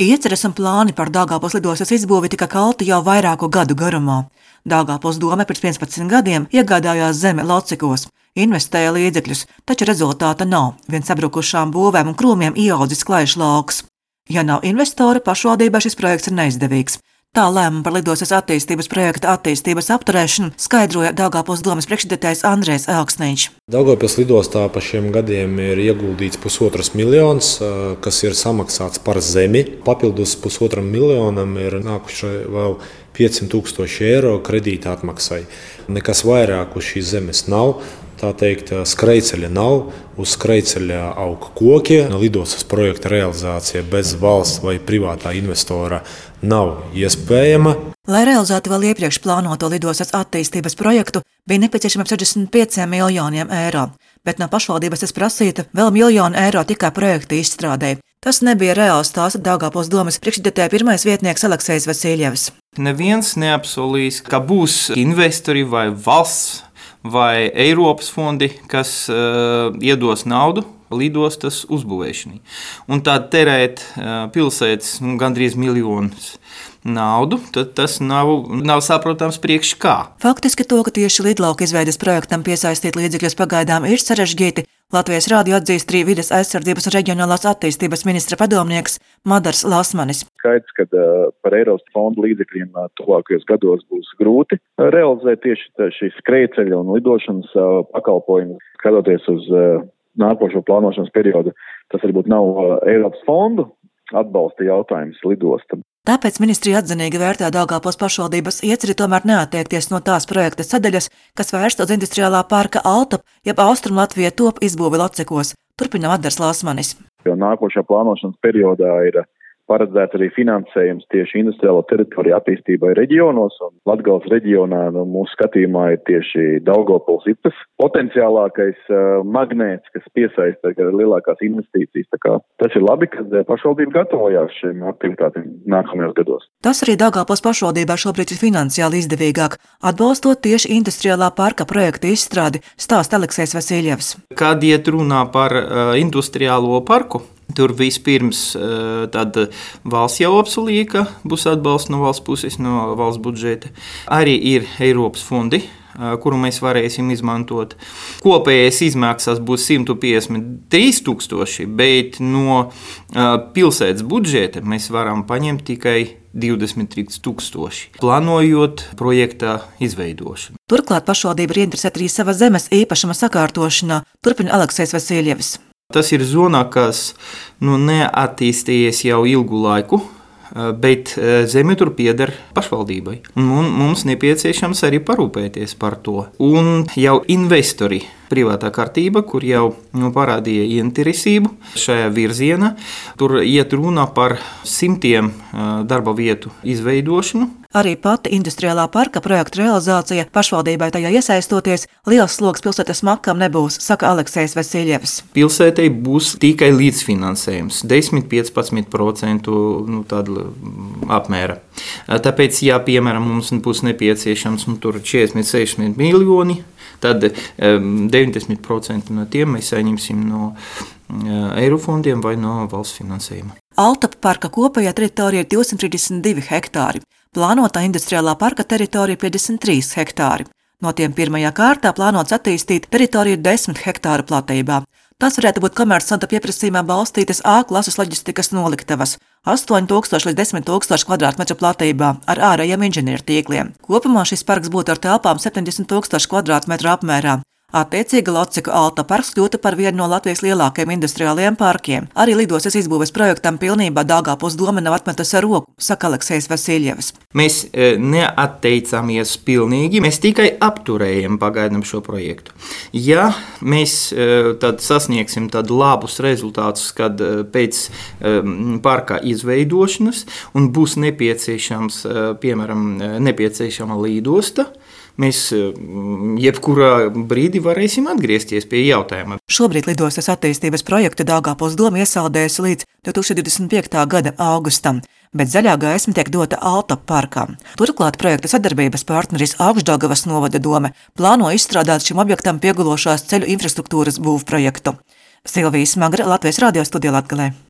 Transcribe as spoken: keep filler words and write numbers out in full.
Ieceres un plāni par Daugavpils lidostas izbūvi tika kalti jau vairāku gadu garumā. Daugavpils dome pirms piecpadsmit gadiem iegādājās zemi Locekos, investēja līdzekļus, taču rezultāta nav. Vien sabrukušām būvēm un krūmiem ieaudzis klaišs lauks. Ja nav investora, pašvaldībai šis projekts ir neizdevīgs. Tā lēmumu par lidostas attīstības projekta attīstības apturēšanu skaidroja Daugavpils domes priekšsēdētājs Andrejs Elksniņš. Daugavpils lidostā pa šiem gadiem ir ieguldīts pusotras miljonus, kas ir samaksāts par zemi. Papildus pusotram miljonam ir nākuši vēl piecsimt tūkstoši eiro kredīta atmaksai. Nekas vairāk uz šīs zemes nav. Tā teikt, skrejceļa nav, uz skrejceļa aug koki. Lidostas projekta realizācija bez valsts vai privātā investora nav iespējama. Lai realizētu vēl iepriekš plānoto lidostas attīstības projektu, bija nepieciešama sešdesmit pieci miljoni eiro, bet no pašvaldības tas prasīta vēl miljonu eiro tikai projekta izstrādē. Tas nebija reāls, stāsta Daugavpils domes priekšsēdētāja pirmais vietnieks Aleksejs Vasiljevs. Neviens neapsolīs, ka būs investori vai valsts vai Eiropas fondi, kas uh, iedos naudu lidostas uzbūvēšanai. Un tad terēt uh, pilsētas nu, gandrīz miljonus naudu, tad tas nav, nav saprotams priekš kā. Faktiski to, ka tieši lidlauka izveides projektam piesaistīt līdzekļus pagaidām ir sarežģīti, Latvijas rādio atzīst arī vides aizsardzības un reģionālās attīstības ministra padomnieks Madars Lasmanis. Skaidrs, ka uh, par Eiropas fondu līdzekļiem uh, tuvākajos gados būs grūti uh, realizēt tieši šīs skrejceļa un lidošanas uh, pakalpojumus. Skatoties uz uh, nākošo plānošanas periodu, tas varbūt nav uh, Eiropas fondu atbalsta jautājums lidostam. Tāpēc ministrija atzinīgi vērtē Daugavpils pašvaldības ieceri tomēr neatteikties no tās projekta sadaļas, kas vērsta uz industriālā parka Altop, jeb Austrum Latvija top izbūvi Locekos. Turpina Madars Lasmanis. Jo nākošajā plānošanas periodā ir paredzēts arī finansējums tieši industriālo teritoriju attīstībai reģionos, un Latgales reģionā nu, mūsu skatījumā ir tieši Daugavpils ir tas potenciālākais uh, magnēts, kas piesaista lielākās investīcijas. Tā kā tas ir labi, ka pašvaldība gatavojās šiem aktivitātiem nākamajos gados. Tas arī Daugavpils pašvaldībā šobrīd ir finansiāli izdevīgāk, atbalstot tieši industriālā parka projekta izstrādi, stāsta Aleksejs Vasiljevs. Kad iet runā par uh, industriālo parku, tur vispirms tad valsts jau apsolīja, ka būs atbalsts no valsts puses, no valsts budžeta. Arī ir Eiropas fondi, kuru mēs varēsim izmantot. Kopējais izmaksas būs simt piecdesmit trīs tūkstoši, bet no pilsētas budžeta mēs varam paņemt tikai divdesmit trīs tūkstoši, plānojot projekta izveidošanu. Turklāt pašvaldība ir interesēta arī sava zemes īpašuma sakārtošanā, turpina Aleksejs Vasiljevs. Tas ir zonā, kas nu, neattīstījies jau ilgu laiku, bet zeme tur pieder pašvaldībai. Un mums nepieciešams arī parūpēties par to. Un jau investori, privātā kārtība, kur jau nu, parādīja interesību šajā virzienā, tur iet runa par simtiem darba vietu izveidošanu. Arī pati industriālā parka projekta realizācija pašvaldībai tajā iesaistoties liels sloks pilsētas makam nebūs, saka Aleksejs Vasiljevs. Pilsētai būs tikai līdzfinansējums, desmit līdz piecpadsmit procenti nu, tāda apmēra. Tāpēc, ja piemēram mums būs nepieciešams nu, tur četrdesmit līdz sešdesmit miljoni, tad deviņdesmit procenti no tiem mēs saņemsim no Eirofondiem vai no valsts finansējuma. Altop parka kopējā teritorija ir divsimt trīsdesmit divi hektāri. Plānotā industriālā parka teritorija ir piecdesmit trīs hektāri. No tiem pirmajā kārtā plānots attīstīt teritoriju desmit hektāru platībā. Tas varētu būt komercanta pieprasījumā balstītas A klases loģistikas noliktavas astoņi tūkstoši līdz desmit tūkstoši kvadrātmetru platībā ar ārējiem inženieru tīkliem. Kopumā šis parks būtu ar telpām septiņdesmit tūkstoši kvadrātmetru apmērā. Attiecīgi Loceku Alta parks kļūtu par vienu no Latvijas lielākajiem industriālajiem parkiem. Arī lidostas izbūves projektam pilnībā Daugavpils dome nav atmetusi ar roku, saka Aleksejs Vasiljevs. Mēs neatteicāmies pilnīgi, mēs tikai apturējam pagaidām šo projektu. Ja mēs tad sasniegsim tad labus rezultātus, kad pēc parka izveidošanas un būs nepieciešams, piemēram, nepieciešama lidosta, mēs jebkurā brīdī varēsim atgriezties pie jautājuma. Šobrīd lidostas attīstības projektu Daugavpils doma iesaldējusi līdz divi tūkstoši divdesmit piektā gada augustam, bet zaļā gaisma tiek dota Altop parkam. Turklāt projekta sadarbības partneris Augšdaugavas novada dome plāno izstrādāt šim objektam piegulošās ceļu infrastruktūras būvprojektu. Silvija Smagra, Latvijas radio studija Latgalē.